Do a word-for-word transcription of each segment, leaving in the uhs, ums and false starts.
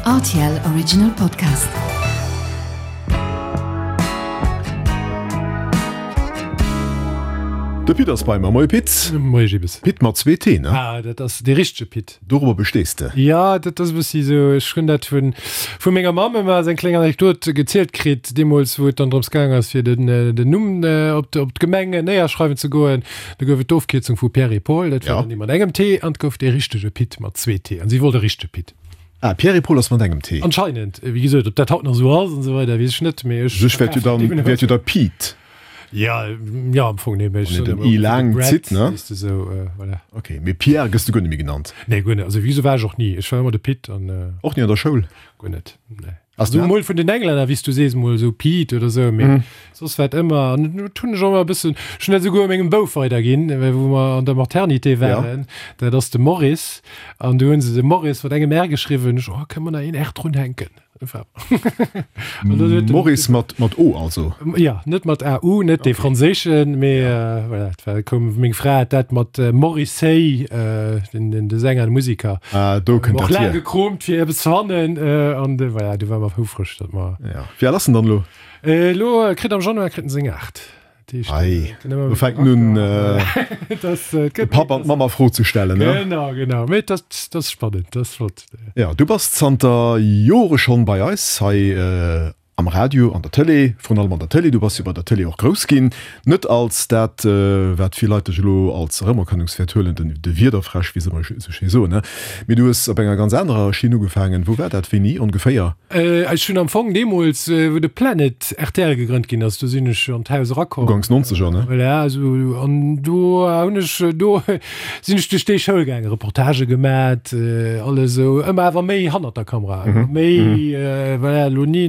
R T L Original Podcast. De Pit ass bei mer. Moie Pit. Moie Gibbes. Pit mat zwee T, ne? Ah, dat ass dee richtege Pit. Dorobber bestees de? Ja, dat ass e bëssi esou. Ech hunn dat vun, vu menger Mamm ëmmer als eng kleng Anekdot gezielt kritt, deemools wou et dann drëms gaang ass fir den, den Numm op op d'Gemeng néierschreiwen ze goen. Do gouf et d'Ofkierzung vu Pierre et Paul, dat war Ja. dann dee mat engem T, an et gouf dee richtege Pit mat zwee T. An si wollt e richtege Pit. Ah, Pierre et Paul ass mat engem T. Anscheinend. Wéi gesot, ob dat haut nach esou ass an esou weider, weess ech net, mee ech Sech wäert jo dann, wäert jo da Pete. Ja, ja, am Fong, nee, mee ech Wann een soen den ëmmer I de laang Brad, zitt, ne? weess de, sou, voilà. Ok, mee Pierre gëss du guer net méi genannt? Nee, guer net. Also wéi esou war ech och ni. Ech war ëmmer de Pit an. Och ni an der Schoul? Guer net, nee. Ass Also mol vun den Englänner, wéi s du sees, mol esou Pete oder esou, mee soss war et ëmmer, an dat hunn ech och ëmmer e bëssen, ech hunn dat esouguer mengem Bouf weiderginn, well wou mer an der Maternité waren, dat ass de Maurice, an du hunn se de Maurice mat engem R geschriwwen, ech, oh, kënne mer nach een R drunhänken? Maurice mat mat O also? Ja, net mat A U, net dee franséischen, mee voilà, et war koum, meng Fra hat dat mat Morrissey, den den de Sänger, de Musiker, Ah, do kënnt och dat laang hier. gekroomt fir eppes ze fannen, an de voilà, du war mer houfreg, datt mer. Ja. Wéi al ass en dann elo? Elo kritt am Januar kritt en seng aacht. Ei, do fänkt en un, de Papp an d'Mamm a Fro ze stellen, ne? Genau, genau. Mee dat ass spannend, dat ass flott. Jo, du bass zanter Jore schonn bei eis hei am Radio, an der Tëlee, vrun allem an der Tëlee. Du bass jo bei der Tëlee och grouss ginn. Net als dat, wat vill Leit dech elo als Erëmerkennungswäert huelen, den de Wiederfräsch, wéi se ëmmer esou schéi soen, ne? Mee du hues op enger ganz anerer Schinn ugefaangen. Wou war dat, wéini ongeféier? Ech hunn am Fong deemools, wou de Planet R T L gegrënnt ginn ass, do sinn ech an d'Haus erakomm. Uganks Nonzeger, ne? Voilà, esou, an do hunn ech, do sinn ech duerch déi Schoul gaangen, Reportagë gemat, alles esou, ëmmer awer méi hannert der Kamera, ëmmer méi, voilà, elo ni,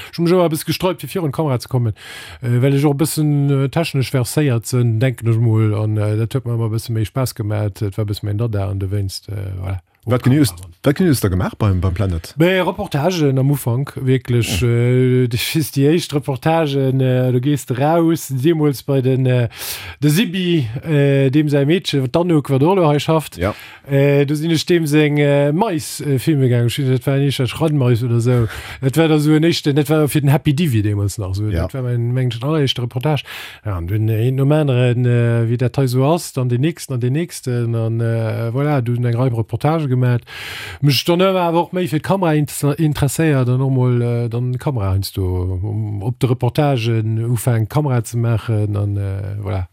ech hu mech ëmmer e bësse gesträubt, fir virun d'Kamera ze kommen, well ech och e bëssen technesch verséiert sinn, denken ech mol, an dat huet mer ëmmer e bësse méi Spaass gemat, et war e bësse mäin Dada an dowéinst, voilà. Wat genee hues wat genee hues de da gemaach beim beim Planet? Mee Reportagen am Ufank wierklech, ech weess déi éischt Reportagen, do gees de raus, deemools bei den de Sibi, deem säi Meedche, d'Anouk, wat och elo hei schafft, Ja. do sinn ech deem seng Mais filme gaangen, ech weess net, dat war en éischter Schrannmais oder esou, dat war da sou en éischten, dat war fir den Happy Divi deemools nach esou, Ja. dat war mäin mengen ech alleréischte Reportage. Ja, an dunn een nom aneren, wéi dat hei esou ass, dann deen nächsten an deen nächsten an voilà, dunn eng Rei Reportage gemat. Mech dann ëmmer awer och méi fir d'Kamera interesséiert an och mol dann d'Kamera heiansdo op de Reportagen ufänkt Kamera ze maachen an voilà.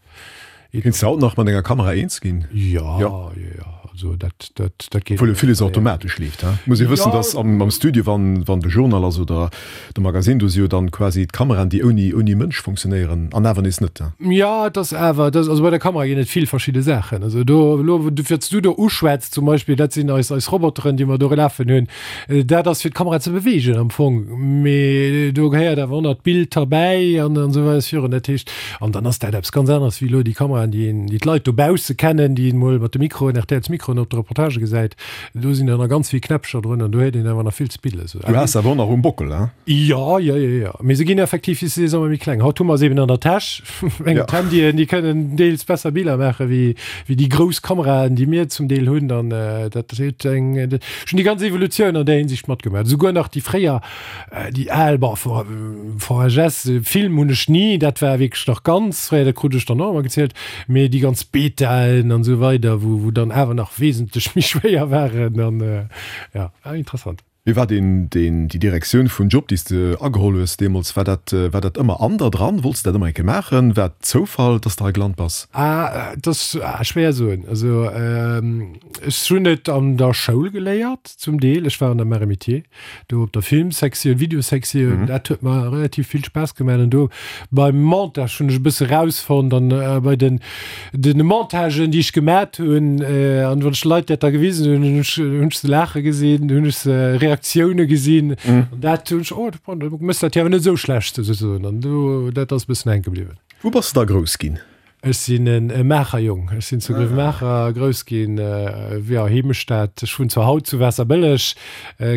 Kéints de haut nach mat enger Kamera eens ginn? Jo, jo, jo, also dat, dat, dat geet. Obwuel jo villes automatesch leeft, he? Muss ee wëssen, dass am, am Studio, wann, wann de Journal ass oder de Magasinn, do si jo dann quasi d'Kameraen, déi ouni, ouni Mënsch funktionéieren an awer nees net, he? Jo, et ass awer, et ass, also bei der Kamera ginn et vill verschidde Saachen. Also do, elo, wat s du do uschwätz zum Beispill, dat sinn eis, eis Roboteren, déi mer do lafen hunn. Dat ass fir d'Kamera ze beweegen am Fong, mee do gehéiert awer och nach d'Bild derbäi an, an esou weider virun. Dat heescht, an dann ass dat eppes ganz aneres wéi elo déi Kameraen, déi een, déi d'Leit dobausse kennen, déi een emol mat de Mikroen, R T Ls Mikroen op de Reportagë gesäit. Do sinn der nach ganz vill Knäppcher drun an do huet een awer nach vill ze piddeln. Du has se awer och nach um Bockel, hein? Jo, jo, jo, jo. Mee se ginn effektiv, wéi s de sees, ëmmer méi kleng. Haut hu mer se eben an der Täsch. Eng Ja. D'Handyen, déi kënnen deels besser Biller maache wéi, wéi déi grouss Kameraen, déi mir zum Deel hunn. An dat huet eng, ech hunn déi ganz Evolutioun an där Hinsicht matgemaach. Esouguer nach déi fréier, déi al, bon, V H S, Film hunn ech ni, dat war wierklech nach ganz fréier, dat krut ech dann och ëmmer gezielt, mee déi ganz Betaen an esou weider, wou, wou dann awer nach wesentlech méi schwéier waren an, ja, war interessant. Wéi war deen, deen, déi Direktioun vun Job, déi s de ageholl hues deemools, war dat, war dat ëmmer an der dran? Wollts de dat ëmmer eng Kéier maachen? War et Zoufall, dass de hei gelant bass? Ah, dat ass schwéier soen. Also, ech hunn et an der Schoul geléiert zum Deel. Ech war an der Mains et Métiers, do op der Filmsektioun, Videosektioun. Dat huet mer relativ vill Spaass gemaach. An do beim Montage hunn ech e bësse rausfonnt an bei den, den Montagen, déi ech gemat hunn, an wann ech de Leit dat da gewisen hunn, hunn ech, hunn ech se laache gesinn, hunn ech se Reaktioune gesinn. An dat hunn ech, oh, du mëss dat jo awer net esou schlecht, souzesoen. An do, dat ass e bëssen hänke bliwwen. Wou bass de da grouss ginn? Ech sinn e Maacher Jong. Ech sinn zu Gréiwemaacher grouss ginn, jo, Heemestad. Ech wunnen zwar haut zu Waasserbëlleg,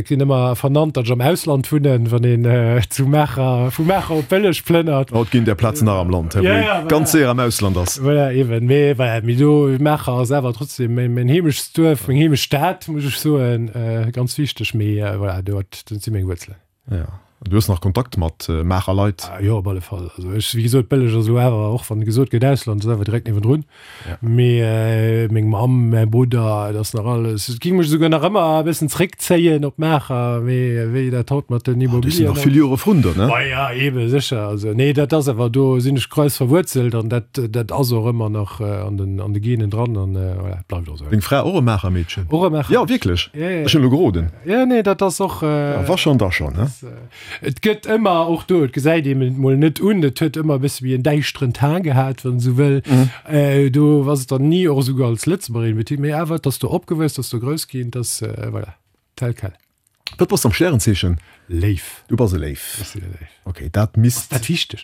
ginn ëmmer vernannt, datt ech am Ausland wunnen, wann een zu Maacher, vu Maacher op Bëlleg plënnert. Haut ginn där Plazen nach am Land, wou ee ganz séier am Ausland ass. Voilà, eben. Mee voilà, mee do, Maacher ass awer trotzdem mäin Heemechtsduerf, meng Heemechtsstad, muss ech soen, ganz wichteg. Mee voilà, do si meng Wuerzelen. Jo. An du hues nach Kontakt mat Maacher Leit? Jo, op alle Fall. Also ech, wéi gesot, Bëlleg ass elo awer, och wann gesot gëtt Ausland, ass awer direkt niewendrun. Mee meng Mamm, mäi Brudder, et ass nach alles, et géing mech esouguer nach ëmmer e bëssen zréckzéien op Maacher, mee wéi dat haut mat den Immobilien ass. Du sinn nach vill Jore vrun der, ne? Ma ja, eebe sécher. Also nee, dat ass awer, do sinn ech grouss verwuerzelt an dat, dat ass och ëmmer nach an den, an de Genen dran an voilà, et bleift och esou. Deng Fra och e Maacher Meedchen? Och e Maacher Meedchen. Jo, wierklech? Ech hunn elo geroden. Jo, nee, dat ass och. Ja, wa schonn, da schonn, ne? Et gëtt ëmmer, och do, et gesäit een et mol net un, et huet ëmmer e bësse wéi en däischteren Teint gehat, wann een esou wëll. Do ass et dann ni och esouguer als Lëtzebuergerin betitelt, mee awer, et ass do opgewuess, et ass do grouss ginn, et ass, voilà, tel quel. Wat bass de am Stärenzeechen? Léiw. Du bass e Léiw. Ech sinn e Léiw. Ok, dat misst. Ass dat wichteg?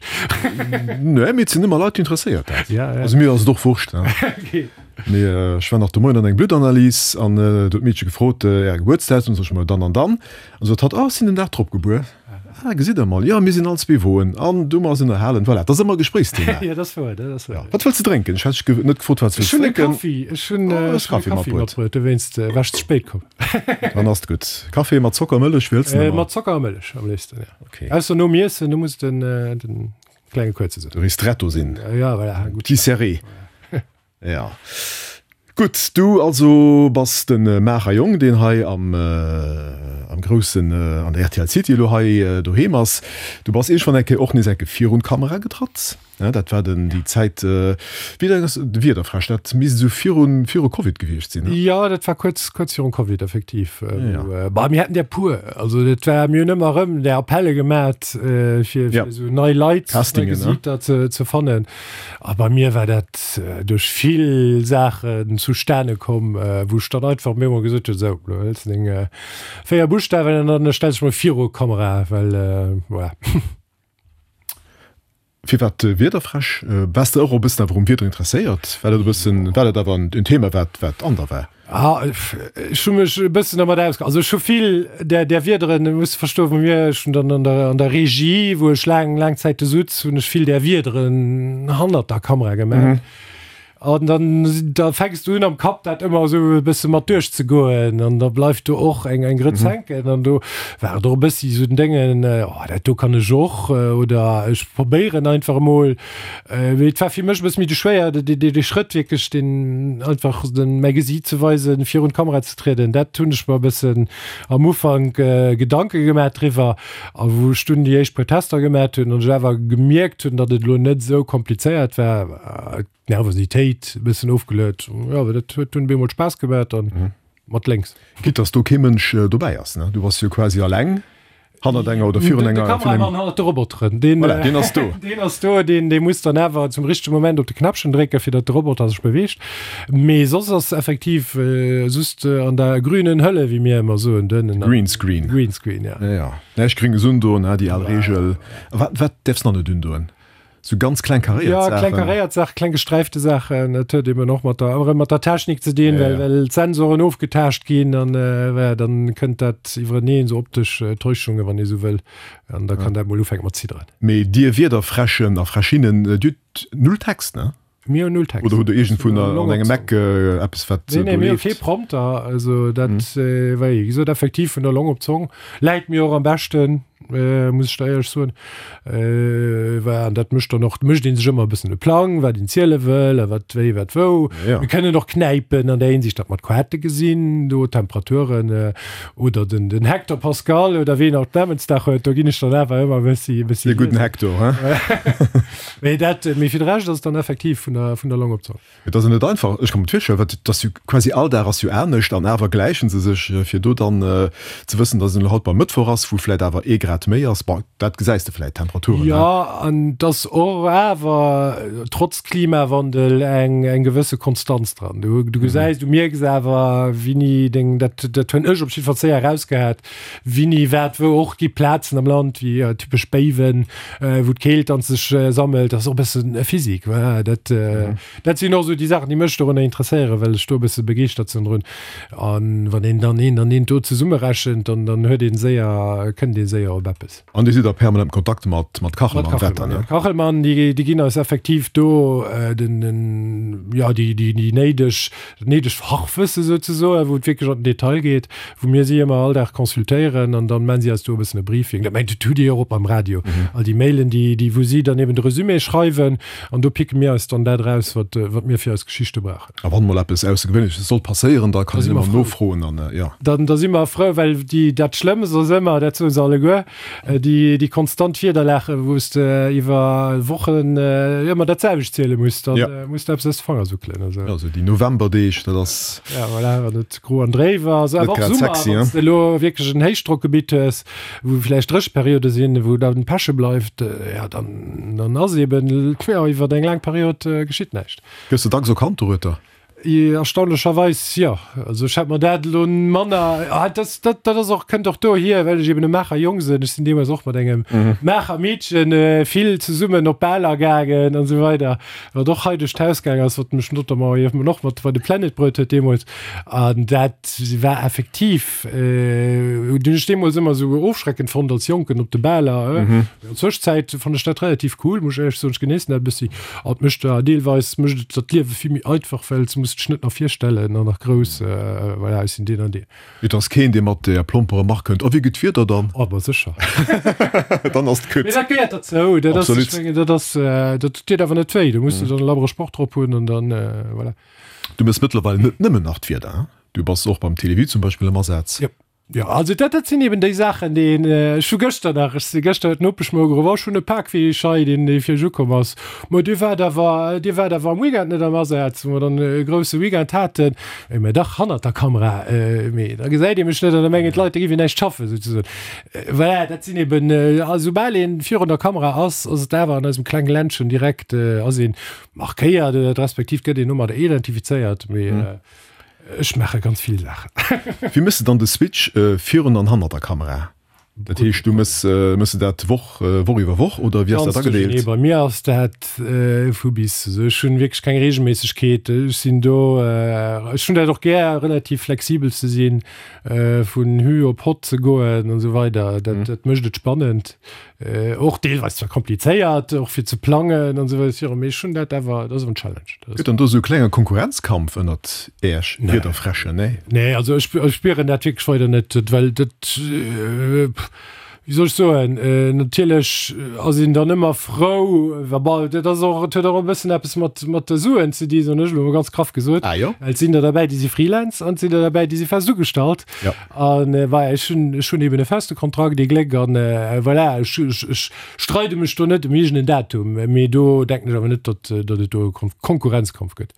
Nee, mee et sinn ëmmer Leit, déi interesséiert dat. Ja, ja. Also mir ass et och Wurscht, ne? Ok. Mee ech war nach de Moien an eng Bluttanalys an do huet d'Meedche gefrot, Äre Gebuertsdatum? Sot ech, Ma dann an dann. An sot hatt, Ah, ech sinn den Dag drop gebuer. Ah, gesitt Der mol, jo, mir sinn all zwee Woen. An du mer eis ënnerhalen. Voilà, dat ass ëmmer e Gespréichsthema. Jo, dat ass wouer, dat ass wouer. Wat wëlls de drénken? Ech hat dech net gefrot, wat s de wëlls drénken. Ech hunn e Kaffi, ech hunn e Kaffi matbruet, dowéinst war ech ze spéit komm. Dann ass et gutt. Kaffi mat Zocker, Mëllech, wéi wëlls de ëmmer? Mat Zocker a Mëllech am léifsten, jo. Okay. Ausser nom Iessen, do muss den, den klenge kuerze sinn. De Ristretto sinn. Ja, voilà. Petit serré. Ja. Gutt, du also bass de Maacher Jong, deen hei am, am groussen, an der rtl City elo hei doheem ass. Du bass iergendwann eng Kéier och nees eng Kéier virun d'Kamera getratt, ne? Dat war den, déi Zäit, wéi laang ass de Wiederfräsch? Dat misst esou virun, viru Covid gewiescht sinn, ne? Jo, dat war kuerz, kuerz virum Covid effektiv. Ja. Bah, mir haten der puer. Also dat war, mir hunn ëmmer erëm där Appelle gemat, fir, fir esou nei Leit, nei Gesiiter ze, ze fannen. A bei mir war dat duerch vill Saachen zustane komm, wou ech dann einfach mir emol gesot hunn, sou, lo hëls de deng véier Buschtawen an dann stells dech mol viru Kamera, well voilà. Firwat Wiederfräsch? Waars de och e bëssen awer um Wieder interesséiert? War dat e bëssen, war dat awer en Thema, wat, wat an der war? Ah, ech hu mech e bëssen dermat ausge-, also ech hu vill där, där Wiederen, muss de verstoen, bei mir, ech hunn dann an der, an der Regie, wou ech laang, laang Zäite sutz, hunn ech vill där Wiederen hannert der Kamera gemaach. An dann, da fänks du un am Kapp dat ëmmer esou e bësse mat duerchzegoen an da bleift do och eng, eng Grëtz hänken. An do war et och e bëssi esou den Déngen, oh dat do kann ech och oder ech probéieren einfach emol. Mee et war fir mech e bësse méi de schwéier, dee Schrëtt wierklech, deen einfach den, mäi Gesiit ze weisen, virun d'Kamera ze trieden. Dat hunn ech mer e bëssen am Ufank Gedanke gemaach driwwer. A wou ech dunn déi éischt puer Tester gemaach hunn an ech awer gemierkt hunn, datt et elo net esou komplizéiert war, d'Nervositéit e bëssen ofgeluet. Jo, awer dat huet dunn bemol Spaass gemaach an mat lénks. Quitte dass do kee Mënsch dobäi ass, ne? Du bass jo quasi alleng. Hannert enger oder virun enger. De Kameramann hannert de Roboteren, deen, voilà, deen ass do. Deen ass do, deen, dee muss dann awer zum richtege Moment op de Knäppchen drécken, fir datt de Roboter sech beweegt. Mee soss ass effektiv just an der grünen Hölle, wéi mir ëmmer soen, den Greenscreen. Greenscreen, ja. Ja, ja. Näischt Gringes undoen, ha, déi al Reegel. Wat, wat däerfs nach net undoen? Sou ganz kleng karéiert Saachen. Ja, kleng karéiert Saachen, kleng gesträifte Saachen. Dat huet eben och mat der, erëm mat der Technik ze dinn, well, well d'Sensoren ofgetaascht ginn an voilà, dann kënnt dat iwwereneen, sou optesch Täuschungen, wann ee sou wëll. An da kann dat mol ufänke mat zidderen. Mee dir Wiederfräschen a Fräschinnen, dir hutt null Text, ne? Mir hunn null Text. Oder hutt der iergendwou an engem Eck eppes, wat do leeft? Nee, nee, mir hu kee Prompter. Also dat, wéi gesot, effektiv vun der Long op d'Zong. Läit mir och am beschten, muss ech der éierlech soen. Well an dat mécht dann och, mécht ee sech ëmmer e bëssen e Plang, wat een ziele wëll a wat wéi, wat wou. Mir kënnen och knäipen an där Hinsicht, datt mer d'Quarte gesinn do, d'Temperaturen oder den, den Hector Pascal oder ween och Namensdag huet. Do ginn ech dann awer ëmmer e bëssi, e bëssi. De gudden Hector, hein? Mee dat, mee fir de Rescht ass et dann effektiv vun der, vun der Long op d'Zong. Et ass jo net einfach, ech ka mer virstellen, wat et ass jo quasi all Dag ass jo anescht an awer gläichen se sech, fir do dann ze wëssen, dass et elo haut beim Mëttwoch ass, wou vläit awer ee Grad méi ass. Bon, dat gesäis de vläit, d'Temperaturen, ne? Jo, an et ass och awer trotz Klimawandel eng, eng gewësse Konstanz dran. Du, du gesäis, du mierks awer, wéini deng, dat, dat hunn ech op jiddwer Fall séier erausgehat, Wini wat wou och gi Plazen am Land wéi typesch Béiwen, wou d'Keelt dann sech sammelt. Dat ass och e bëssen Physik, voilà. Dat dat sinn och esou déi Saachen, déi mech dorunner interesséieren, well ech do e bësse begeeschtert sinn drun. An wann een dann eent an eent do zesummerechent, dann, dann huet ee séier, kënnt ee séier op eppes. An Dir sidd a permanentem Kontakt mat, mat Kachelmann Mat Wetter, Kachelmann, ne? ja. Kachelmann, déi, déi ginn eis effektiv do den, den, jo, déi, déi, déi néideg, dat néidegt Fachwësse souzesoen, wou et wierklech an den Detail geet, wou mir si ëmmer all Dag consultéieren an dann man si eis do e bëssen e Briefing. Dat mengt, dat hutt Dir jo och beim Radio, all déi Mailen, déi, déi, wou si dann eben de Resumé schreiwen an do picke mir eis dann dat eraus, wat, wat mir fir eis Geschichte brauchen. A wann mol eppes Aussergewéinleches sollt passéieren, da kann Da si een mer ëmmer frou. nofroen an, jo. Dann, da si mer frou, well déi, dat Schlëmmst ass ëmmer, dat soe se alleguer, déi, déi konstant Wiederlagen, wou s de iwwer Wochen ëmmer dat selwecht ziele muss, dann Ja. muss de eppes aus de Fanger suckelen. Also. Ja, esou déi Novemberdeeg, dat ass. Ja, voilà, wann et gro an dréif ass, Net awer och grad Summer, sexy, wann hein? s de elo wierklech en Héichdrockgebitt hues, wou vläicht Drécheperiode sinn, wou dann Peche bleift, ja, dann, dann ass eben, ja, iwwer eng laang Period geschitt näischt. Gëss de dacks erkannt dorueter? Erstaunlecherweis jo. Also ech hätt mer dat elo manner, ah, dat, dat, dat ass och, kënnt och dohier, well ech eben e Maacher Jong sinn. Ech sinn deemools och mat engem Maacher Meedchen vill zesummen op Baler gaangen an esou weider, wat och hei duerch d'Haus gaang ass, wat mech notamment eben och mat bei de Planet bruet huet deemools. An dat war effektiv, hunn ech deemools ëmmer esou ofschreckend fonnt als Jonken op de Baler. An der Zwëschenzäit fannen ech dat relativ cool, muss ech éierlech soen. Ech genéissen dat e bëssi. An et mécht der deelweis mécht et dat Liewe vill méi einfach, well s muss dech net nach virstellen an nach grouss, voilà, ech sinn deen an deen. Et ass keen, dee mat der plomper Remark kënnt, Oh, wéi gutt Wieder dann? Oh, ma sécher. Dann ass et gutt. Mee dat gehéiert derzou. Dat ass, Absolut. ech mengen, dat ass, dat deet awer net wéi. Do muss du dann e labbere Sproch drop hunn an dann, voilà. Du méchs mëttlerweil net nëmmen nach d'Wieder, hein? Du bass och beim Télévie zum Beispill am Asaz. Jo. Jo, also dat, dat sinn eben déi Saachen, déi een, ech hu gëschter nach, ech si gëschter huet d'Nopesch mer ugeruff, oh ech hunn e Pak fir iech hei, deen, dee fir iech ukomm ass. Ma Dir waart awer, Dir waart awer am Weekend net am Asaz, wou mer dann e grousse Weekend haten. Ech, Mä dach, hannert der Kamera, mee da gesäit ee mech net an da mengen d'Leit, da géif een näischt schaffen, souzesoen. Voilà, dat sinn eben, a soubal een virun der Kamera ass, ass et awer an eisem klenge Ländchen direkt, ass een markéiert oder respektiv gëtt een domadder identifizéiert, mee. Ech maache ganz vill Saachen. Wéi méchs de dann de Switch virun an hannert der Kamera? Dat heescht, du méchs, méchs de dat Woch, Woch iwwer Woch oder wéi ass dat Ganz duerchernee. agedeelt? Bei mir ass dat vu bis. Also ech hunn wierklech keng Reegelméissegkeet. Ech sinn do, ech hunn dat och gär, relativ flexibel ze sinn, vun Hü op Hott ze goen an esou weider. Dat, dat mécht et spannend. Och deelweis zwar komplizéiert, och fir ze plangen an esou weider, mee ech hunn dat awer, dat ass awer en Challenge. Dat ass. Gëtt dann do esou e klenge Konkurrenzkampf ënnert Äech Wiederfräschen? Nee? Nee, also ech, ech spieren dat wierklech weider net, well dat, wéi soll ech soen, natierlech ass een dann ëmmer frou, wa bal, dat ass och, et huet och e bëssen eppes mat, mat de Suen ze di, soen ech elo mol ganz graff gesot. Ah jo? Well et sinn der derbäi, déi si Freelance an et sinn der derbäi, déi si fest ugestallt. Ja. An voilà, ech hunn, ech hunn eben e feste Kontrakt, ee Gléck, an voilà, ech, ech, ech streide mech do net ëm iergend en Datum, mee do denken ech awer net, datt, datt et do e Konkurrenzkampf gëtt.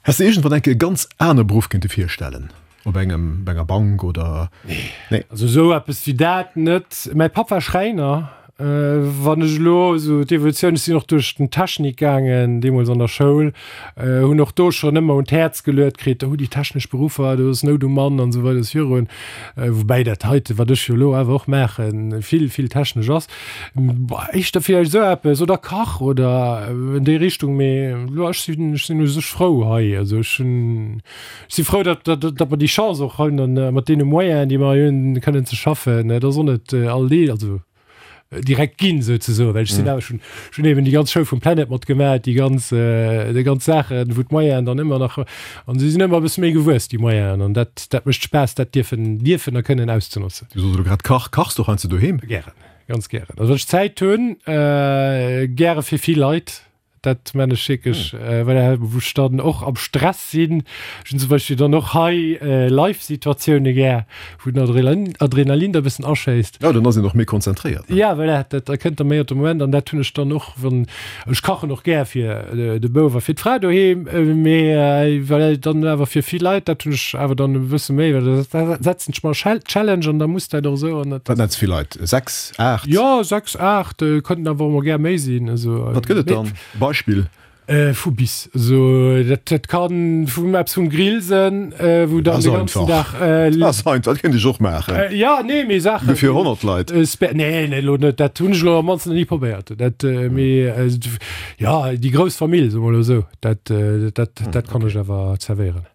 Häss de iergendwann eng Kéier e ganz anere Beruff kéinte virstellen? Op engem, op enger Bank oder? Nee. Nee. Also esou eppes wéi dat net. Mäi Papp war Schräiner. Wann ech elo esou d'Evolutioun, ech sinn och duerch den Technik gaangen deemools an der Schoul, hunn och do schonn ëmmer un d'Häerz geluet kritt, oh déi technesch Beruffer, do ass Nout um Mann an esou weider virun. Woubäi dat heite wat ech jo elo awer och maachen, vill, vill technesch ass. Éischter villäicht esou eppes oder Kach oder an déi Richtung, mee elo ech sinn, ech sinn u sech frou hei. Also ech hunn, ech si frou, datt, datt, datt mer déi Chance och hunn an mat deene Moyenen, déi mer hei hunn, kënnen ze schaffen. Dat ass och net all Dee, also direkt ginn souzesoen, well ech sinn awer schon, schon eben déi ganz Show vum Planet matgemaach, déi ganz, déi ganz Saachen, wou d'Moyenen dann ëmmer nach, an se sinn ëmmer e bësse méi gewuess, déi Moyenen, an dat, dat mécht Spaass, dat dierfen, dierfen a kënnen auszenotzen. Du soos elo grad Kach, kachs du och heiansdo doheem? Gären, ganz gären. Also wann ech Zäit hunn, gäre fir vill Leit. Dat man ech wierklech, well wou ech dann och am Stress sinn. Ech hunn zum Beispill dann och hei Live-Situatioune gär, wou den Adrenalin, Adrenalin da e bëssen aschéisst. Jo, dann ass een och méi konzentréiert, ne? Ja, voilà, dat da kënnt da méi op de Moment an dat hunn ech dann och, wann ech kachen och gär fir de Bouf a fir d'Fra doheem, mee voilà, dann awer fir vill Leit, dat hunn ech awer dann e bësse méi, well da setzen ech mer Challenge an da muss dat och esou an dat. Wat nenns vill Leit? Sechs, aacht? Jo, sechs, aacht, kënnten awer och mol gär méi sinn, also. Wat gëtt et dann? Beispill? Vu bis. Also dat, dat kann vum eppes vum Grill sinn, wou dann de ganzen Dag. Dat ass einfach, dat kéint ech och maachen. Ja, nee, mee Saachen. Fir honnert Leit. Nee, nee, elo net. Dat hunn ech elo am mannsten nach ni probéiert. Dat, mee ja, déi grouss Famill, soe mer elo esou, dat, dat, dat kann ech awer zerwéieren.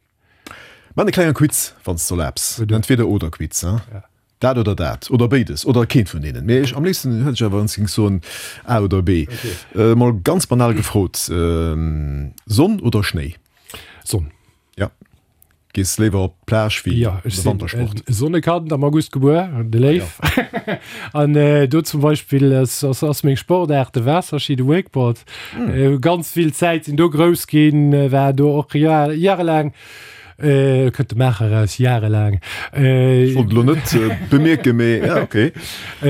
Maan e klenge Quiz, wann s de erlaabs. Entweder-oder-Quiz, hein? Dat oder dat, oder béides, oder keent vun deenen. Mee ech, am léifsten hätt ech awer, wann s de géings soen A oder B. Mol ganz banal gefrot, Sonn oder Schnéi? Sonn. Ja. Gees léiwer op d'Plage wéi Ja, ech sinn e Sonnekand, am August gebuer, de Léif. An do zum Beispill ass, ass meng Sportaart de Waasserski, de Wakeboard. Hu ganz vill Zäit, sinn do grouss ginn, war do och jarelaang Kënnt de Maacher eraus, jarelaang. Ech wollt elo net bemierken, mee ja, okay.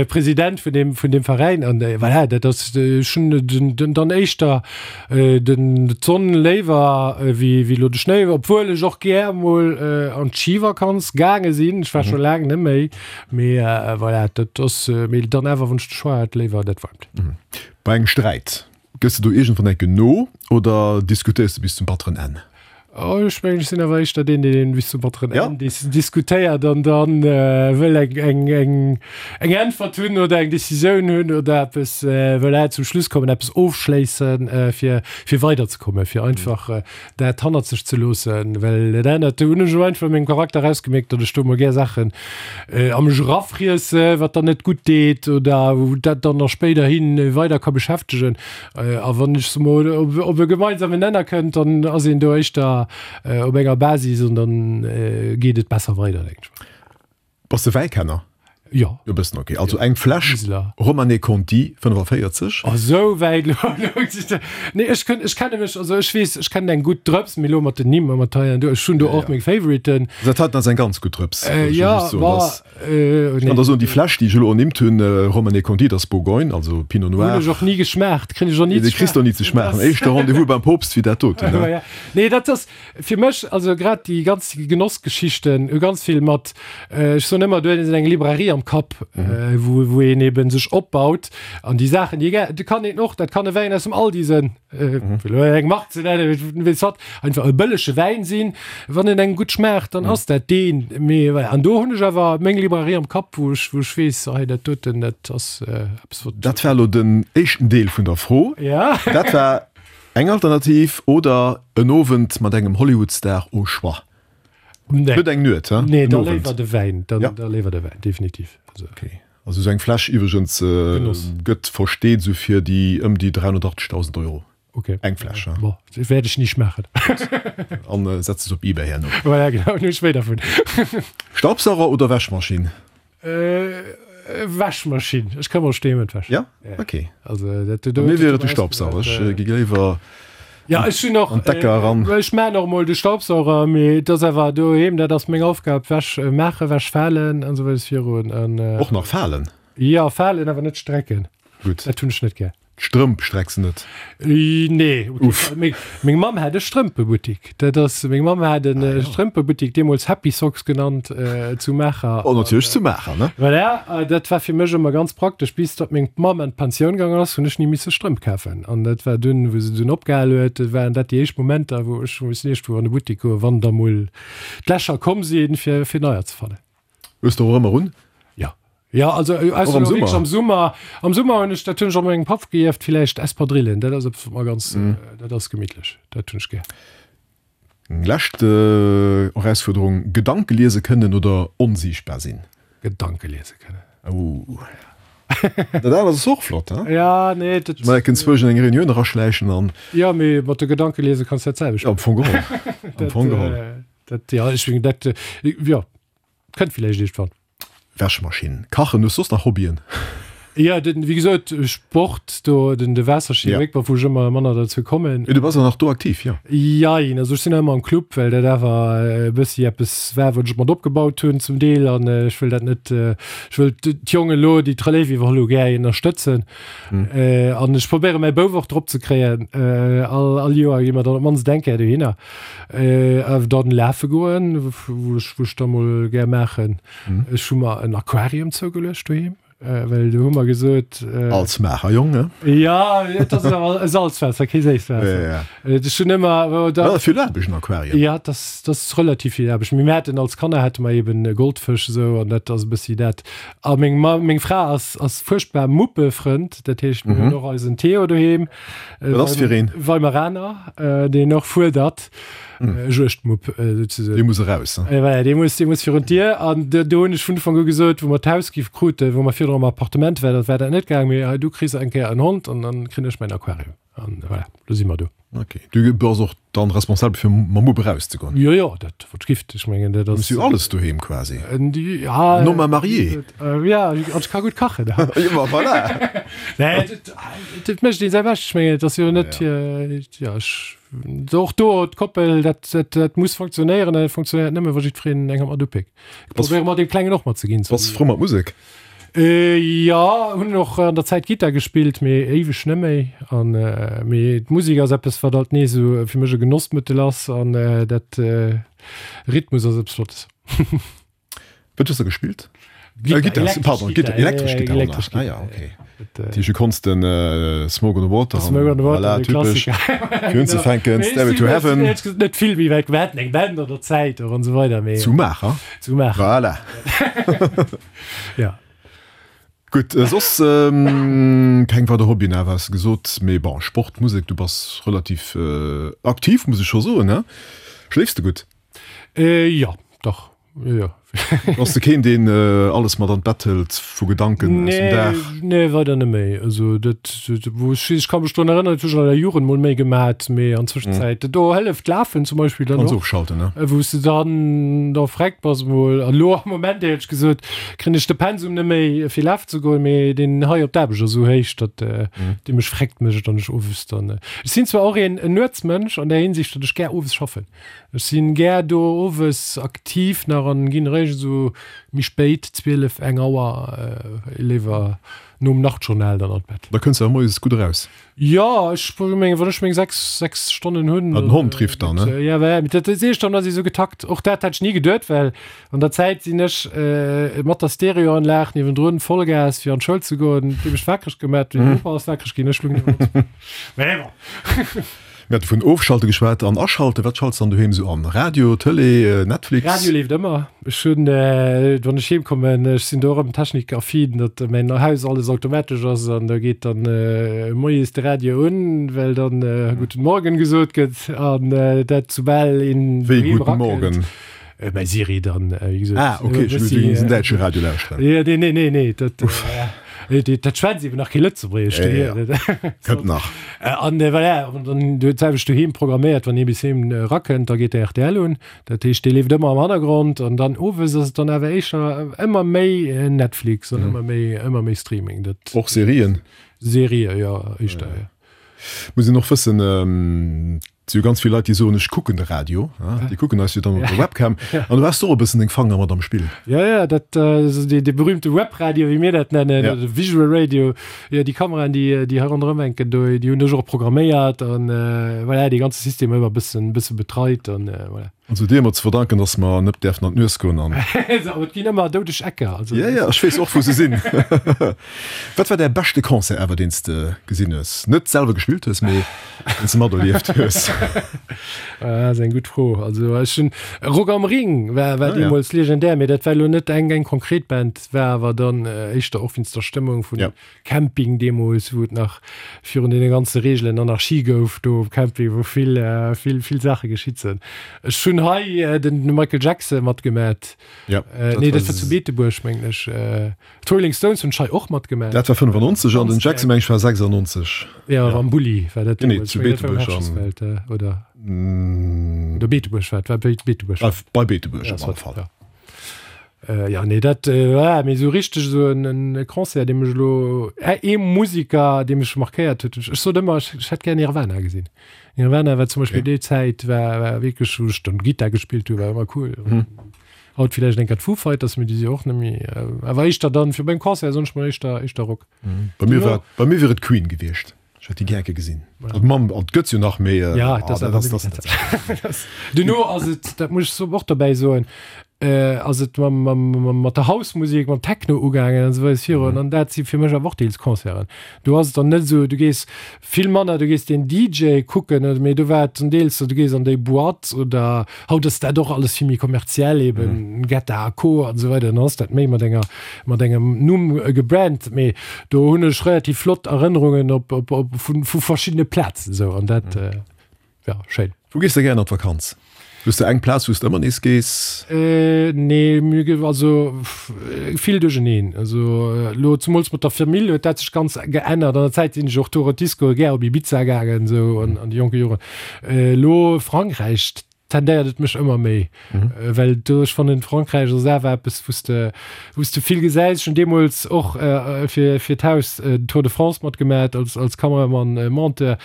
President vun deem, vun deem Veräin an voilà, dat ass, ech hunn den, dann éischter den, d'Sonn léiwer wéi, wéi elo de Schnéi, obwuel ech och gär mol an d'Schivakanz gaange sinn. Ech war scho laang net méi, mee voilà, dat ass, mee dann awer, wann ech de Choix hätt, léiwer dat Waarmt. Bei engem Sträit, gëss de do iergendwann enke no oder diskutéiers de bis zum batteren Enn? Oh, ech mengen, ech sinn awer éischter deen, deen bis zum batteren Enn diskutéiert an dann wëll eng, eng, eng, eng Äntwert hunn oder eng Decisioun hunn oder eppes, voilà, zum Schluss kommen, eppes ofschléissen, fir, fir weiderzekommen, fir einfach dat hannert sech ze loossen. Well dat anert, do hunn ech elo einfach u mengem Charakter erausgemierkt, datt ech do emol gär Saachen a mech erafriesse, wat dann net gutt deet oder wou dat dann nach spéiderhi weider ka beschäftegen. A wann ech se mol op e gemeinsamen Nenner kënnt, dann ass een do éischter op enger Basis an dann geet et besser weider, denken ech mer. Bass de Wäikenner? Jo. E bëssen, ok. Also eng Fläsch Romanée-Conti fënnefavéierzeg. Oh, esou wäit elo? Nee, ech kënn, ech kenne mech, also ech weess, ech kennen eng gutt Drëps, mee elo mat den Nimm a mat hei an do, ech hunn do och meng Favoriten. Dat heiten ass eng ganz gutt Drëps, wëll ech Jo, just soen. ma Ech kann der soen, déi Fläsch, déi ech elo ernimmt hunn, Romanée-Conti, dat ass Bourgogne, also Pinot Noir. Hunn ech och ni geschmaacht, kréien ech och ni ze Dee kriss de och ni ze schmaachen. Éischter Rendez-vous beim Poopst wéi dat doten, ne? Nee, dat ass fir mech, also grad déi ganz Genossgeschichten hu ganz vill mat, ech soen ëmmer, du hues eng Librairie am Kapp, wou, wou een eben sech opbaut an déi Saachen, déi gär, do kann een och, dat kann e Wäin aus dem Aldi sinn, fir elo eng Mark ze nennen, weess wat, einfach e bëllege Wäin sinn, wann en engem gutt schmaacht, dann ass dat deen. Mee voilà, an do hunn ech awer meng Librairie am Kapp, wou ech, wou ech weess, hei dat doten, dat ass eppes wat. Dat war elo den éischten Deel vun der Fro. Ja. Dat war eng Alternativ oder en Owend mat engem Hollywood-Star au choix. Nee. Net eng Nuet, he? Nee, En da Owend. léiwer de Wäin, dann, Ja. da léiwer de Wäin, definitiv. Also. Okay. Also esou eng Fläsch iwwregens Genoss. gëtt versteet esou fir déi ëm déi dräihunnertachtzegtausend Euro. Okay. Eng Fläsch, he? Bon, wäert ech ni schmaachen. An setz es op eBay herno. Voilà, genau, hunn ech méi dervun. Staubsauger oder Wäschmaschinn? Wäschmaschinn. Ech ka mer stee ëm d'Wäsch. Ja? Okay. Also, dat, Bei mir wier et de Staubsauger. Ech gi léiwer Ja, ech hunn och, an d'Decker eran. Ech maan och mol de Staubsauger, mee et ass awer doheem, dat ass meng Aufgab, Wäsch maachen, Wäsch falen an esou weides virun. An, Och nach falen? Jo, falen, awer net strecken. Gutt. Dat hunn ech net gär. D'Strëmp strecks de net? Nee. Uff. Meng Mamm hat e Strëmpebuttik. Dat ass, meng Mamm hat e Strëmpebuttik, deemools Happy Socks genannt, zu Maacher. Oh, natierlech zu Maacher, ne? Voilà, dat war fir mech ëmmer ganz praktesch. Bis datt meng Mamm an d'Pensioun gaang ass, hunn ech ni misse Strëmp kafen. An dat war dunn, wou se dunn opgehal huet, waren dat déi éischt Momenter, wou ech hu missen iergendwou an e Buttik goen, wann da mol d'Lächer komm sinn, fir, fir neier ze fannen. Hues de och ëmmer un? Jo. Jo, also Och am Summer? am Summer, am Summer hunn ech, dat hunn ech och mengem Papp geierft, villäicht Espadrillen, dat ass eppes wat mer ganz, dat ass gemittlech, dat hunn ech gär. Eng lescht Erausfuerderung, Gedanke liese kënnen oder onsiichtbar sinn? Gedanke liese kënnen. Ouh. Dat anert ass och flott, he? Ja, nee, dat. Mä kënns zwousch an eng Reunioun eraschläichen an. Jo, mee mat de Gedanke liese kanns dat selwecht. Am Fong geholl. Am Fong geholl. Dat, jo, ech mengen dat, jo, kënnt villäicht iergendwann. Wäschmaschinn, Kachen, hues soss nach Hobbyen? Jo, den, wéi gesot, Sport do, den, de Waasserski, Ja. Wakeboard, wou ech ëmmer manner derzou kommen. Mee du bass awer nach do aktiv, jo? Jein, also ech sinn nach ëmmer am Club, well dat awer e bëssi eppes war, wat ech mat opgebaut hunn zum Deel an ech wëll dat net, ech wëll d'Jongen elo, déi d'Relève iwwerholl hu, gär ënnerstëtzen. An ech probéiere mäi Bouf och drop ze kréien. All, all Joer gi mer dann op d'mannst eng Kéier dohinner. A dann lafe goen, wou ech, wou ech da mol gär maachen. Ech hu mer en Aquarium zougeluecht doheem. Well do hu mer gesot. Als Maacher Jong, ne? Jo, et ass awer e Salzwaasser, kee Séisswaasser. Ja, ja. Ech hunn ëmmer, wou da. Dat ass vill Aarbecht, en Aquarium. Ja, dat ass, dat ass relativ vill Aarbecht. Mee mir haten als Kanner hate mer eben e Goldfësch esou an dat ass e bëssi dat. A meng Ma, meng Fra ass, ass fuerchtbar Muppefrënd, dat heescht mir hunn och eisen Theo doheem. Wat ass fir een? Weimaraner, deen och fuerdert. Juegdmupp souzesoen. Dee muss eraus, ne? Voilà, dee muss, dee muss virun d'Dier. An do, do hunn ech vun Ufank u gesot, wou mer d'Haus gi kruten, wou mer virdru am Appartement waren, dat war dat net gaang, mee hei, du kriss eng Kéier en Hond an dann kréien ech mäin Aquarium. An voilà, lo si mer do. Ok. Du bass och dann responsabel fir mam Mupp erauszegoen? Jo, jo, dat wat gift. Ech mengen, dat ass. Du hues jo alles doheem quasi. Ja. En homme à marier. Ja, an ech ka gutt kachen. Jo, ma voilà. Nee, dat, dat mécht een säi Bescht. Ech mengen, et ass jo net fir, ja, ech. Och do, d'Koppel, dat, dat, dat muss funktionéieren, an dat funktionéiert nëmme, wa jiddwereen eng Hand mat upéckt. Ech probéiere mat deem Klengen och mat ze ginn. Bass frou mat Musek? Jo, hunn och an der Zäit Gittar gespillt, mee éiweg net méi. An, mee d'Musek ass eppes, wat alt nees esou fir mech e Genossmëttel ass, an dat Rhythmus ass eppes Flottes. Wat hues de gespillt? Gittar, Gittar, elektresch pardon, Gittar, Gittar, elektresch ja, Gittar, elektresch ah, Gittar, ja, okay. Dat, Dat heescht, du konns den Smoke on the Water, Smoke on the Water, voilà, de typesch, Klassiker. fir unzefänken, Stairway to Heaven. Mee net vill méi wäit, wir haten eng Band an der Zäit och an esou weider, mee. Zu Maacher. Zu Maacher. Voilà. Ja. Gutt, soss keng weider Hobbyen awer, has de gesot, mee bon, Sport, Musek, du bass relativ aktiv, muss ech scho soen, ne? Schléifs de gutt? Jo, dach. Jo, jo. Bass de keen, deen alles mat an d'Bett hëlt vu Gedanken aus dem Dag? Nee, nee, weider net méi. Also dat, wou ech, ech ka mech drun erënneren, dat hu ech an der Jugend mol méi gemat, mee an Zwëschenzäit, do hëlleft d'Lafen zum Beispill dann Kanns och. ofschalten, ne? Wou s de dann da vreckt bass mol. An elo am Moment, éierlech gesot, kréien ech de Pensum net méi fir lafen ze goen, mee deen hei op d'Aarbecht ass esou héich, datt dee mech vreckt mécht an ech owes dann, ech sinn zwar och een Nuetsmënsch an där Hinsicht, datt ech gär owes schaffen. Ech sinn gär do owes aktiv nach an ginn eréischt esou méi spéit, zwielef, eng Auer, léiwer nom Nachtjournal dann an d'Bett. Da kënns de awer moies gutt eraus. Jo, ech mengen, wann ech meng sechs, sechs Stonnen hunn. Ah, den Hond rifft dann, ne? Jo, well dat sehe ech dann, ass esou getakt. Och dat hätt ech ni geduet, well an der Zäit sinn ech mat der Stereoanlag niewendrun Vollgas fir an d'Schoul ze goen, déi mech wakereg gemat hunn. Meng Bopa ass wakereg ginn, ech lung niewendrun. Mä bon. Mir hate vun Ofschalte geschwat an Aschalte. Wat schalts de dann doheem esou an? Radio, Tëlee, Netflix? Radio leeft ëmmer. Ech hunn, wann ech heem kommen, ech sinn do och erëm technikaffin, datt mäin Haus alles automatesch ass an da geet dann moies de Radio un, well dann Guten Morgen gesot gëtt an dat soubal een Wéi doheem Guten erakënnt. Morgen? Mäi Siri dann, wéi gesot. Ah, okay, ech hunn geduecht, du géings en däitsche Radio lauschteren. Jo, nee, nee, nee, nee, dat. Dat schwätzt eben nach kee Lëtzebuergesch. Ja, ja. Kënnt nach. An voilà, an dann du d'selwecht doheem programméiert, wann ee bis heem erakënnt, da geet de rtl un. Dat heescht, dee leeft ëmmer am Hannergrond. An dann owes ass et dann awer éischter ëmmer méi Netflix an ëmmer méi, ëmmer méi Streaming. Dat Och Serien? Serië, jo, éischter, jo. Muss een och wëssen, et si jo ganz vill Leit, déi soen, ech kucken de Radio, déi kucken eis jo dann op der Webcam. An du has och e bëssen deng Fanger mat am Spill. Jo, jo, dat ass dee, dee berühmte Webradio, wéi mir dat nennen, Ja. oder Visual Radio. Jo, déi Kameraen, déi, déi hei ronderëm hänken do, déi hunn ech och programméiert an voilà, dee ganze System ëmmer e bëssen, bësse betreit an voilà. Also dir emmer ze verdanken, dass mer net däerfen an d'Nues goen an. Awer et ginn ëmmer doudeg Ecker, also. Ja, ja, ech weess och wou se sinn. Wat war däi beschte Concert ever deen s de gesinn hues? Net selwer gespillt hues, mee deen s de materlieft hues? Ah, ass eng gutt Fro. Also ech hunn Rock am Ring war war Ah, ja. deemools legendär, mee dat war elo net eng eng konkret Band, war awer dann éischter och wéinst der Stëmmung vun Ja. Camping deemools, wou et nach virun deene ganze Reegelen Anarchie gouf do um Camping, wou vill, vill, vill Saache geschitt sinn. Ech hunn hei den Michael Jackson matgemat. Ja, dat nee, dat war zu Beetebuerg, mengen ech. D'Rolling Stones hunn ech hei och matgemat. Dat war fënnefannonzeg an den Jackson, meng ech, war sechsundneunzeg. Ja, am Bulli war dat Genee, deemools. zu Ech mengen, dat war um Beetebuerg am. Herrschaftsfeld, oder? Oder Beetebuerg war et, war Beetebuerg. Bei Beetebuerg Ja, op alle Fall. ja. Äh, ja, nee, dat äh, war mee sou richteg sou en, en Concert, dee mech elo, äh, ee Musiker, dee mech markéiert huet. Ech, ech sot ëmmer, ech, ech hätt gär Nirvana gesinn. Nirvana war zum Beispill Okay. déi Zäit, war, war wierklech, wou ech dann Gittar gespillt hu, war ëmmer cool. Mhm. Haut villäicht eng Kéier d'Foo Fighters, mee déi si och net méi, äh, awer éischter dann, fir beim Concert soen ech mol éischter, éischter Rock. Bei mir war, bei mir wier et Queen gewiescht. Ech hätt déi gär gesinn. Also mam, an et gëtt jo nach, mee, Ja, ah, dat ass dat awer ass, net dat ass net. Duerno ass et, dat muss ech och dobäi soen, ass et mam, mam, mam, mat der House-Musek, mam Techno ugaangen an esou weider virun. An dat si fir mech awer och deels Concerten. Do ass et dann net esou, du gees vill manner, du gees den D J kucken, oder mee do war et dann deels sou, du gees an déi Boîte oder haut ass dat och alles vill méi kommerziell eben, Guetta a Co. An esou weider, dann ass dat méi mat enger, mat engem Numm gebrandt. Mee do hunn ech relativ flott Erënnerungen op, op, op, vu, vu verschiddene Plazen esou an dat, ja, schéin. Wou gees de gären an d'Vakanz? Hues de eng Plaz, wou s de ëmmer nees gees? Nee, mir ge also vill duercheneen. Also elo zemools mat der Famill huet dat sech ganz geännert. An der Zäit sinn ech och Tour Disco gär op Ibiza gaangen, esou an an de jonke Joren. Elo Frankräich tendéiert et mech ëmmer méi, well do ech fannen Frankräich ass awer eppes, wou s de wou s de vill gesäis. Ech hunn deemools och fir fir d'Haus den Tour de France matgemat als als Kameramann, Monteur.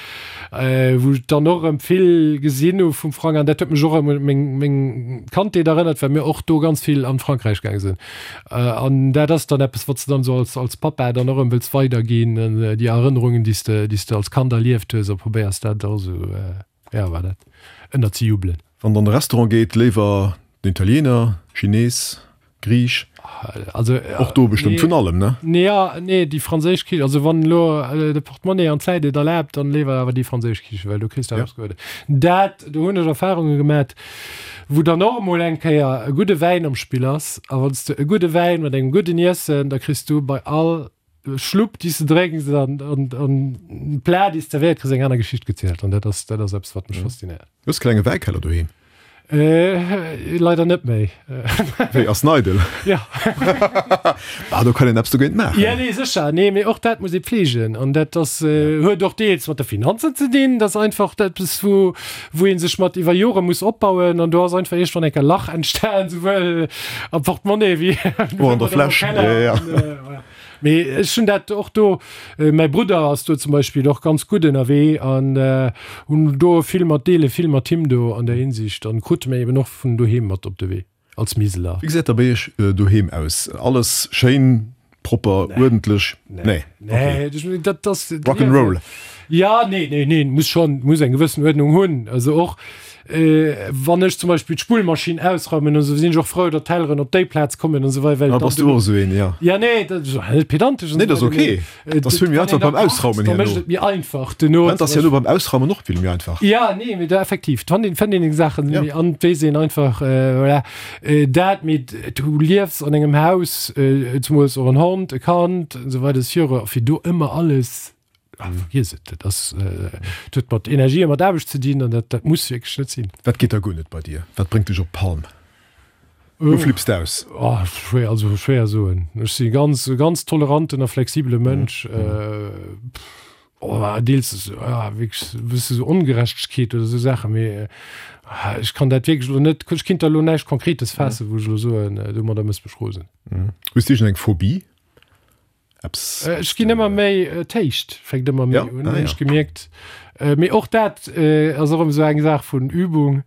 Wou ech dann och erëm vill gesinn hu vum Frank an dat huet mech och erëm un meng meng Kandheet erënnert, well mir och do ganz vill an Frankräich gaange sinn. An dat ass dann eppes, wat s de dann esou als als Pappa dann och erëm wëlls weiderginn, déi Erënnerungen, déi s de déi s de als Kand erlieft hues a probéiers dat och esou, ja voilà, ënnerzejubelen. Wann der an de Restaurant geet, léiwer den Italiener, Chines, Griich? Also, Och do bestëmmt vun allem, ne? Nee, ja, nee, déi franséisch Kichen, also wann elo de Portemonnaie an d'Zäit et erlaabt, dann léiwer awer déi franséisch Kichen, well do kriss de eppes Guddes. Dat, do hunn ech Erfahrunge gemat, wou dann och emol eng Kéier e gudde Wäin am Spill ass, a wann s de e gudde Wäin mat engem gudden Iessen, da kriss du bei all Schlupp, déi s de drénks an, an, an Plat, déi s zerwéiert kriss, eng aner Geschicht gezielt an dat ass, dat ass eppes, wat mech faszinéiert. Hues klenge Wäikeller doheem? Äh, leider net méi. Wéi, ass neidel? Ja. Bah, do kann een eppes dogéint maachen. Ja, nee, sécher. Nee, mee och dat muss ee pflegen. An dat ass, huet och deels mat de Finanzen ze dinn. Dat ass einfach eppes, wou, wou ee sech mat iwwer Jore muss opbauen. An do ass einfach iergendwann eng Kéier Lach entstan, souwuel am Portemonnaie wéi Och an der Fläsch. Ja, ja. Mee ech hunn dat och do, mäi Brudder ass do zum Beispill och ganz gutt ënnerwee an hunn do vill mat, deele vill mat him do an där Hinsicht an krute mir eben och vun doheem mat op de Wee als Miseler. Wéi gesäit da bei iech doheem aus? Alles schéin, propper, uerdentlech? Nee, nee, dat ass. Rock'n'Roll? Ja, nee, nee, nee, muss schonn, muss eng gewëssen Uerdnung hunn. Also och wann ech zum Beispill d'Spullmaschinn ausraumen an esou, sinn ech och frou, datt d'Telleren op déi Plaz kommen an esou weider, well Ah, bass du och esou een, ja. Ja, nee, dat ass net pedantesch an Nee, dat ass ok. Dat ass vill méi einfach beim Ausraumen herno. Da mécht et méi einfach duerno. Dat ass herno beim Ausraumen och vill méi einfach. Ja, nee, mee da effektiv, fand een, fënnt een eng Saachen méi an et weess een einfach, voilà, dat. Mee du liefs an engem Haus, zemools och en Hond, e Kand an esou weider, fir do ëmmer alles. Ah, vergiess et, dat ass, dat huet mat Energie a mat Aarbecht ze dinn an dat, dat muss wierklech net sinn. Wat geet da guer net bei dir? Wat bréngt dech op d'Palm? Wou flipps de aus? Oh, schwéier, also schwéier soen. Ech si ganz, e ganz toleranten a flexibele Mënsch. Oh, deels, ja, wierklech e bësse sou Ongerechtegkeet oder sou Saachen, mee ech kann dat wierklech elo net, ech kinnt der elo näischt Konkretes faassen, wou ech elo soen, domadder méchs mech rosen. Hues de iergendeng Phobie? Eppes, Ech ginn ëmmer méi, d'Héicht fänkt ëmmer méi un, hunn ech gemierkt. Mee och dat ass erëm esou eng Saach vun Übung.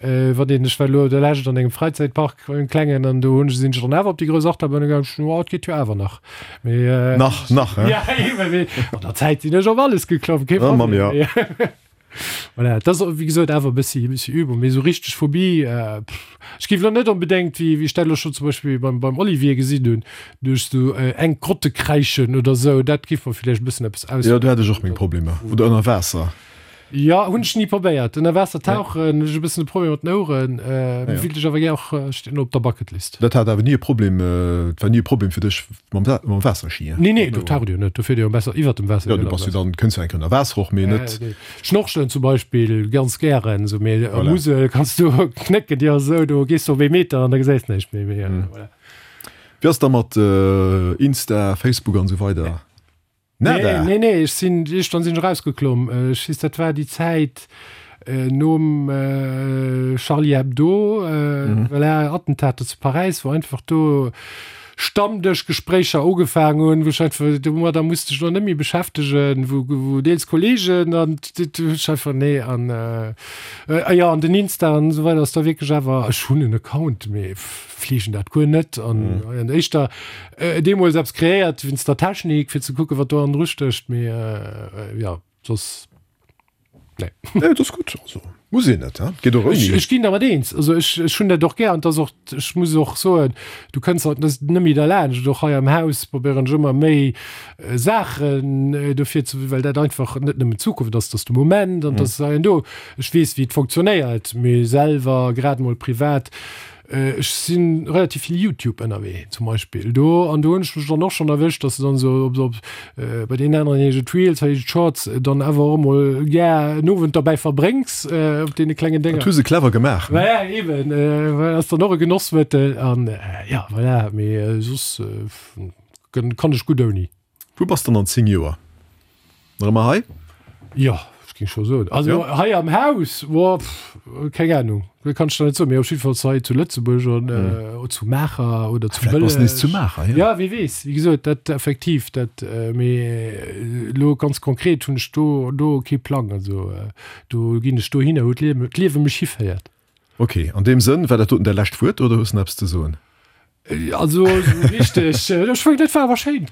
Wann een, ech war elo der Lescht an engem Fräizäitpark, engem klengen, an do hunn ech, sinn ech dann awer op déi grouss Achterbunn gaangen, ech hunn, oh, et geet jo awer nach. Mee, Nach, nach, he? Ja, eben, mee an der Zäit sinn ech op alles geklomm, kee Problem. Ja, Mamm, ja. Voilà, dat ass wéi gesot awer e bëssi, e bëssi Übung, mee esou richteg Phobie, pff, ech géif elo net onbedéngt, wéi, wéi ech dat elo schonn zum Beispill beim, beim Olivier gesinn hunn, duerch esou enk Grotte kräischen oder esou, dat géif mer villäicht e bëssen eppes aus. Jo, do hätt ech och meng Problemer. Oder ënner Waasser. Jo, hunn ech ni probéiert. Ënner Waasser tauchen, hunn ech e bëssen e Problem mat den Oueren, mee wéilt ech awer gär och, steet elo op der Bucketlist. Dat hat awer ni e Problem, et war ni e Problem fir dech mam, mam Waasserski, Nee, nee, do taucht jo net, do fiert ee jo besser iwwert dem Waasser. Jo, du bass jo dann, kënns jo eng Kéier ënner Waasser och, mee net. Schnorchelen zum Beispill ganz gären, esou, mee a Musel kanns du knécken dir esou, do gees du op ee Meter an da gesäis näischt méi, mee voilà. Wéi ass da mat Insta, Facebook an esou weider? Nada? Nee, nee, ech sinn, iergendwann sinn ech erausgeklomm. Ech weess, dat war déi Zäit nom Charlie Hebdo, voilà, Attentater zu Paräis, wou einfach do Stammdëschgespréicher ugefaangen hunn, wou ech einfach, domadder musst dech elo net méi beschäftegen, wou, wou deels Kollegen an du hues einfach, nee, an jo, an den Insta an esou weider ass da wierklech awer, ech hunn en Account, mee fleegen dat guer net an an éischter deemools eppes kreéiert wéinst der Technik, fir ze kucken, wat do hannendru stécht, mee jo, soss. Nee. Nee, dat ass gutt. Also, muss een net, he? Geet och Ech, ouni. ech ginn der mat eens. Also ech, ech hunn dat och gär an dat ass och, ech muss och soen, du kënns halt net méi derlaanscht. Och hei am Haus probéieren ech ëmmer méi Saachen dofir ze, well dat einfach net nëmmen d'Zukunft ass, dat ass de Moment an dat ass hei an do. Ech weess, wéi et funktionéiert, mee selwer, grad emol privat, Ech si relativ vill Youtube ënnerwee zum Beispill do an do hunn ech mech dann och schonn erwëscht, dass de dann esou op op bei deenen aneren heescht et Reels, hei heescht et Shorts, dann awer och emol gär en Owend derbäi verbréngs op deene klengen Dat Dénger. hu se clever gemaach, ne? Voilà, eben, ass dann och e Genossmëttel an jo, voilà, mee soss kann ech gutt ouni. Wou bass dann an zéng Joer? Nach ëmmer hei? Jo, ech géing scho soen. Also ja. Hei am Haus, boah, pff, keng Ahnung, dat kann ech der net soen, mee op jiddefalls hei zu Lëtzebuerg an mm. äh, zu Maacher oder zu Bëlleg. Nees zu Maacher, ja. Ja, wie weess, wéi gesot, dat effektiv, dat äh, mee äh, lo ganz konkret hunn ech do, do kee Plang, also äh, do ginn ech dohinner, wou d'Liewe, d'Liewe mech hiféiert. Okay, an deem Sënn, war dat doten däi lescht Wuert oder hues de nach eppes ze soen? Also richteg, ech mengen dat war awer schéin.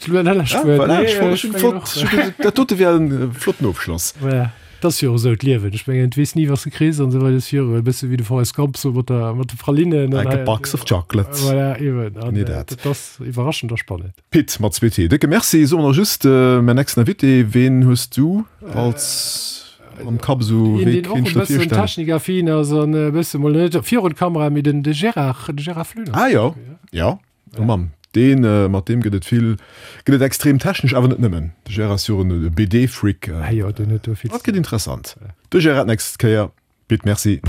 Dat dote wär en flotten Ofschloss. Voilà, dat ass jo och esou d'Liewen. Ech mengen, du weess ni wat s de kriss an esou weider. Ass jo e bësse wéi de Forrest Gump sou mat der, mat de Pralinen. Like a box of chocolates. Voilà, eben. An Genee dat. dat ass iwwerraschend a spannend. Pit, mat zwee T, décke Merci. Soe mer nach just, mäin nächsten Invité, ween hues du als. Am Kapp esou, Een, wéi deen och kéint e ech der bëssen virstellen? technikaffin ass an e bësse mol net virun d'Kamera, mee den de Gérard, de Gérard Flöner. Ah jo, jo, oh Mann, deen, mat deem gëtt et vill, gëtt et extrem technesch, awer net nëmmen. De Gérard ass jo och en B D-Freak. Ah jo, deen huet do vill Dat gëtt interessant. De Gérard d'nächst Kéier. Pit, merci.